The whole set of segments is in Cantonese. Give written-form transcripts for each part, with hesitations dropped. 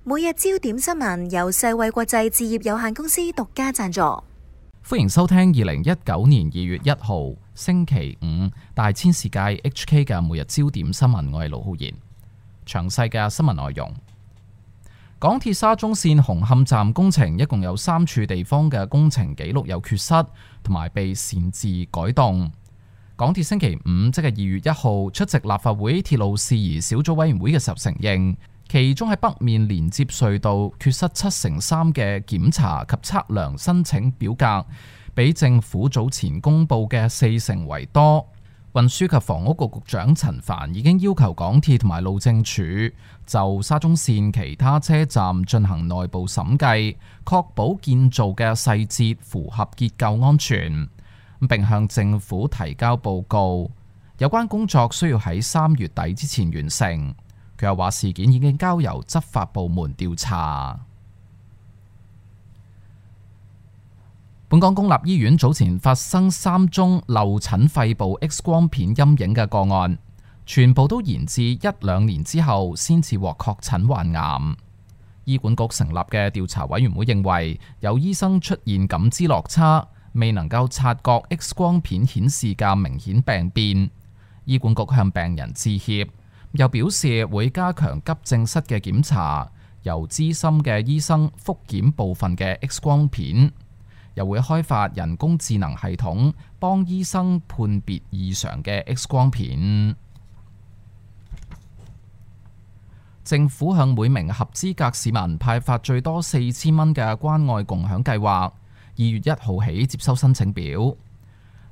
每日焦點新聞由世衛國際置業有限公司獨家贊助。歡迎收聽2019年2月1號星期五大千世界 HK 嘅每日焦點新聞，我係盧浩然。詳細嘅新聞內容：港鐵沙中線紅磡站工程一共有3處地方嘅工程記錄有缺失，同埋被擅自改動。港鐵星期五即係2月1號出席立法會鐵路事宜小組委員會嘅時候承認，其中喺北面連接隧道缺失3/7嘅檢查及測量申請表格，比政府早前公布嘅4成為多。運輸及房屋局局長陳帆已經要求港鐵同埋路政署就沙中線其他車站進行內部審計，確保建造嘅細節符合結構安全，並向政府提交報告。有關工作需要喺3月底之前完成。佢又話事件已經交由執法部門調查。本港公立醫院早前發生3宗漏診肺部 X 光片陰影嘅個案，全部都延至1-2年之後先至獲確診患癌。醫管局成立嘅調查委員會認為，有醫生出現感知落差，未能夠察覺 X 光片顯示嘅明顯病變。醫管局向病人致歉。又表示會加強急症室嘅檢查，由資深嘅醫生複檢部分嘅 X 光片，又會開發人工智能系統幫醫生判別異常嘅 X 光片。政府向每名合資格市民派發最多4000蚊嘅關愛共享計劃，2月1號起接收申請表。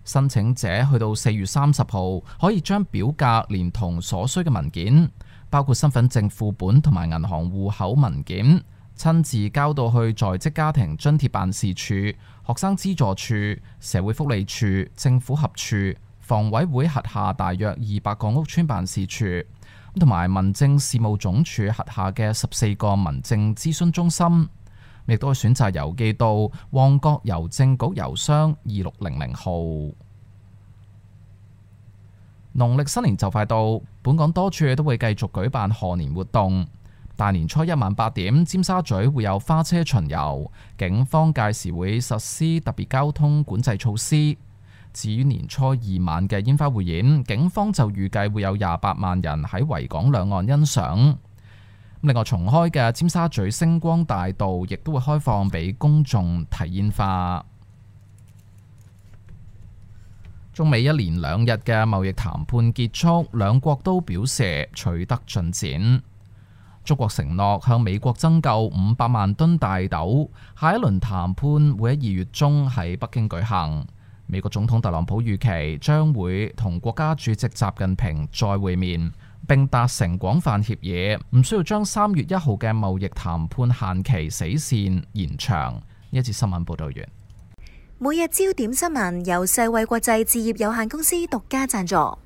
申請者去到4月30號可以將表格連同所需嘅文件，包括身份證副本同埋銀行戶口文件，親自交到去在職家庭津貼辦事處、學生資助處、社會福利處、政府合署、房委會轄下大約200個屋邨辦事處，同埋民政事務總署轄下嘅14個民政諮詢中心。亦都可以選擇郵寄到旺角郵政局郵箱2600號。農曆新年就快到，本港多處都會繼續舉辦賀年活動。大年初一晚8點，尖沙咀會有花車巡遊，警方屆時會實施特別交通管制措施。至於年初2晚嘅煙花匯演，警方就預計會有28萬人喺維港兩岸欣賞。另外，重開嘅尖沙咀星光大道亦都會開放俾公眾睇煙花。中美1連2日嘅貿易談判結束，兩國都表示取得進展。中國承諾向美國增購500萬噸大豆，下一輪談判會喺2月中喺北京舉行。美國總統特朗普預期將會同國家主席習近平再會面，並達成廣泛協議，唔需要將3月1號嘅貿易談判限期死線延長。呢一節新聞報道完。每日焦點新聞由世衛國際置業有限公司獨家贊助。